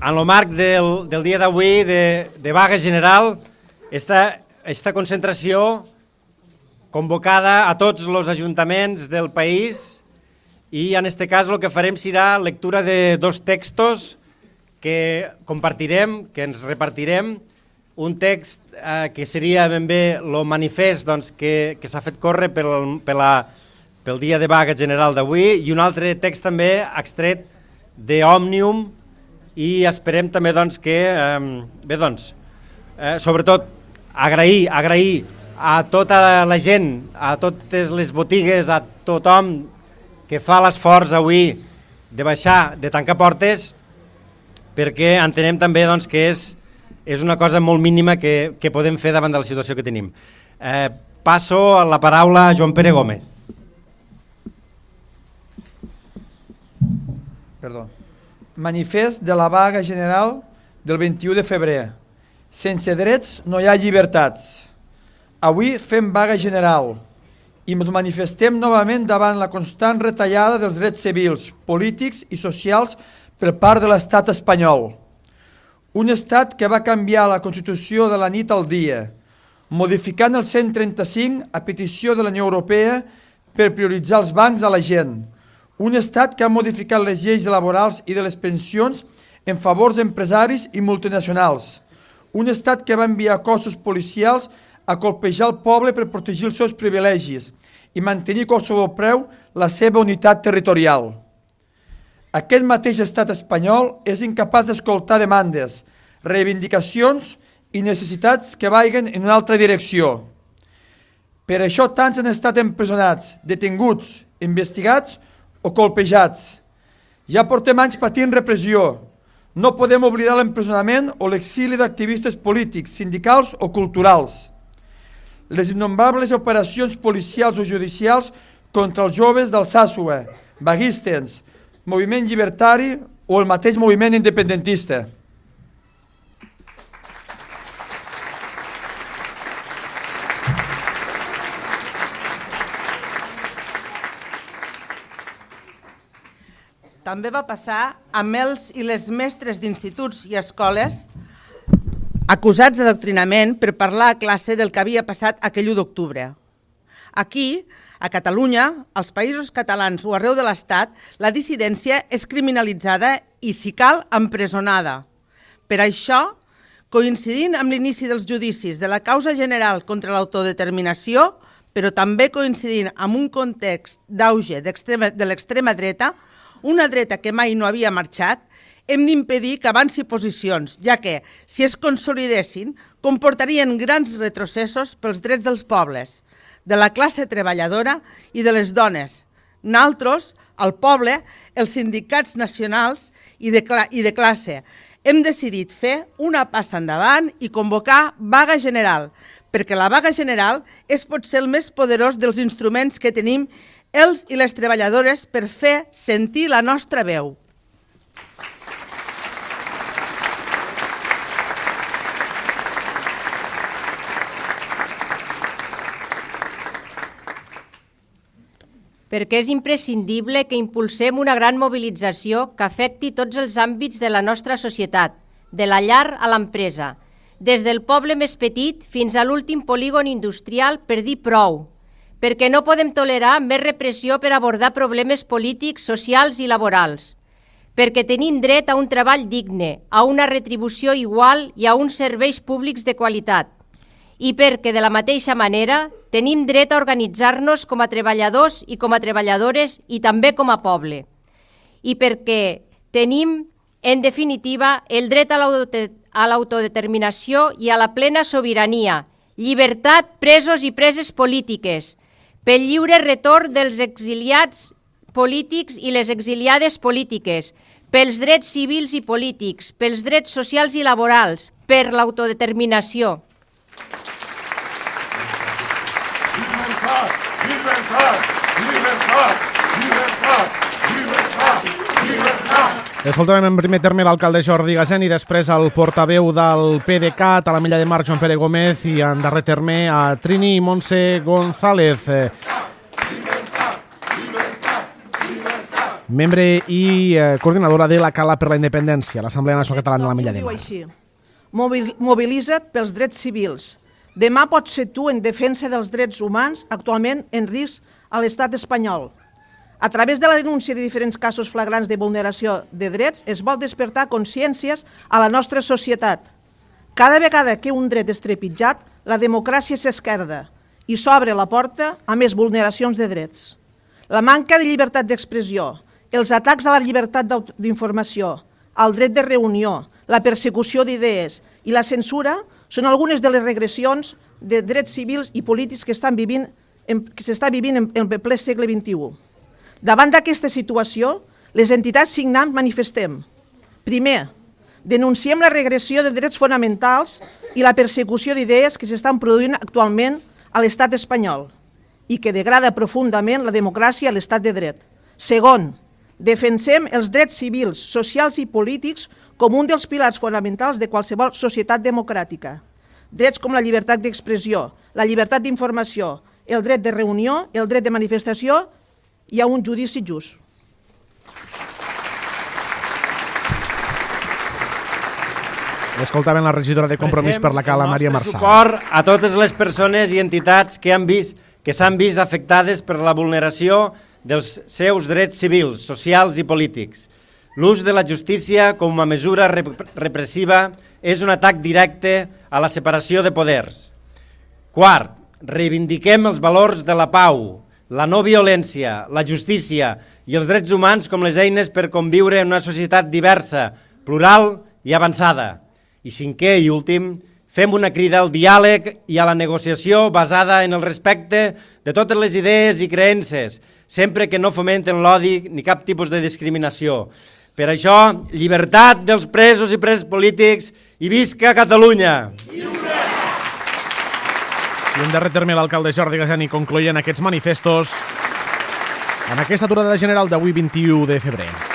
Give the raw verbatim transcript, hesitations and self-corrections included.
en el marc del, del dia d'avui de, de vaga general, esta, esta concentració convocada a tots els ajuntaments del país i en este cas el que farem serà lectura de dos textos que compartirem, que ens repartirem, un text eh, que seria ben bé el manifest doncs, que, que s'ha fet córrer pel, per la, pel dia de vaga general d'avui i un altre text també extret d'Òmnium i esperem també doncs, que, eh, bé doncs, eh, sobretot agrair, agrair a tota la gent, a totes les botigues, a tothom que fa l'esforç avui de baixar, de tancar portes, perquè entenem també doncs, que és, és una cosa molt mínima que, que podem fer davant de la situació que tenim. Eh, passo la paraula a Joan Pere Gómez. Perdó. Manifest de la vaga general del vint-i-u de febrer. Sense drets no hi ha llibertats. Avui fem vaga general i ens manifestem novament davant la constant retallada dels drets civils, polítics i socials per part de l'estat espanyol. Un estat que va canviar la Constitució de la nit al dia, modificant el cent trenta-cinc a petició de la Unió Europea per prioritzar els bancs a la gent. Un estat que ha modificat les lleis laborals i de les pensions en favor d'empresaris i multinacionals. Un estat que va enviar cossos policials a colpejar el poble per protegir els seus privilegis i mantenir a qualsevol preu la seva unitat territorial. Aquest mateix estat espanyol és incapaç d'escoltar demandes, reivindicacions i necessitats que vagin en una altra direcció. Per això tants han estat empresonats, detinguts, investigats o colpejats. Ja portem anys patint repressió. No podem oblidar l'empresonament o l'exili d'activistes polítics, sindicals o culturals. Les innombrables operacions policials o judicials contra els joves d'Alsàsua, vaguistes, moviment llibertari o el mateix moviment independentista. També va passar amb els i les mestres d'instituts i escoles acusats d'adoctrinament per parlar a classe del que havia passat aquell u d'octubre. Aquí, a Catalunya, als països catalans o arreu de l'Estat, la dissidència és criminalitzada i, si cal, empresonada. Per això, coincidint amb l'inici dels judicis de la causa general contra l'autodeterminació, però també coincidint amb un context d'auge de l'extrema dreta, una dreta que mai no havia marxat, hem d'impedir que avanci posicions, ja que, si es consolidessin, comportarien grans retrocessos pels drets dels pobles, de la classe treballadora i de les dones. Nosaltres, el poble, els sindicats nacionals i de, i de classe, hem decidit fer una passa endavant i convocar vaga general, perquè la vaga general és potser el més poderós dels instruments que tenim els i les treballadores per fer sentir la nostra veu. Perquè és imprescindible que impulsem una gran mobilització que afecti tots els àmbits de la nostra societat, de la llar a l'empresa, des del poble més petit fins a l'últim polígon industrial per dir prou, perquè no podem tolerar més repressió per abordar problemes polítics, socials i laborals, perquè tenim dret a un treball digne, a una retribució igual i a uns serveis públics de qualitat, i perquè, de la mateixa manera, tenim dret a organitzar-nos com a treballadors i com a treballadores i també com a poble, i perquè tenim, en definitiva, el dret a l'autodeterminació i a la plena sobirania, llibertat, presos i preses polítiques, pel lliure retorn dels exiliats polítics i les exiliades polítiques, pels drets civils i polítics, pels drets socials i laborals, per l'autodeterminació. Libertad, libertad, libertad, libertad, libertad, libertad. Escoltarem en primer terme l'alcalde Jordi Gasén i després el portaveu del P D C A T a la Milla de Mar, Joan Pere Gómez, i en darrer terme a Trini i Montse González. membre i eh, coordinadora de la Cala per la Independència, l'Assemblea Nacional Catalana de l'Ametlla de Mar. Així. Mobilitza't pels drets civils. Demà pots ser tu en defensa dels drets humans actualment en risc a l'estat espanyol. A través de la denúncia de diferents casos flagrants de vulneració de drets es vol despertar consciències a la nostra societat. Cada vegada que un dret és trepitjat, la democràcia s'esquerda i s'obre la porta a més vulneracions de drets. La manca de llibertat d'expressió, els atacs a la llibertat d'informació, al dret de reunió, la persecució d'idees i la censura són algunes de les regressions de drets civils i polítics que estan vivint, que s'està vivint en el ple segle vint-i-u. Davant d'aquesta situació, les entitats signants manifestem. Primer, denunciem la regressió de drets fonamentals i la persecució d'idees que s'estan produint actualment a l'estat espanyol i que degrada profundament la democràcia i l'estat de dret. Segon, defensem els drets civils, socials i polítics com un dels pilars fonamentals de qualsevol societat democràtica. Drets com la llibertat d'expressió, la llibertat d'informació, el dret de reunió, el dret de manifestació i a un judici just. Escoltaven la regidora de Compromís per la Cala, Maria Marçal. Suport a totes les persones i entitats que han vist que s'han vist afectades per la vulneració dels seus drets civils, socials i polítics. L'ús de la justícia com a mesura repressiva és un atac directe a la separació de poders. Quart, reivindiquem els valors de la pau, la no violència, la justícia i els drets humans com les eines per conviure en una societat diversa, plural i avançada. I cinquè i últim, fem una crida al diàleg i a la negociació basada en el respecte de totes les idees i creences, sempre que no fomenten l'odi ni cap tipus de discriminació. Per això, llibertat dels presos i presos polítics i visca Catalunya! I en darrer terme l'alcalde Jordi Gasani concloïen aquests manifestos en aquesta aturada general d'avui vint-i-u de febrer.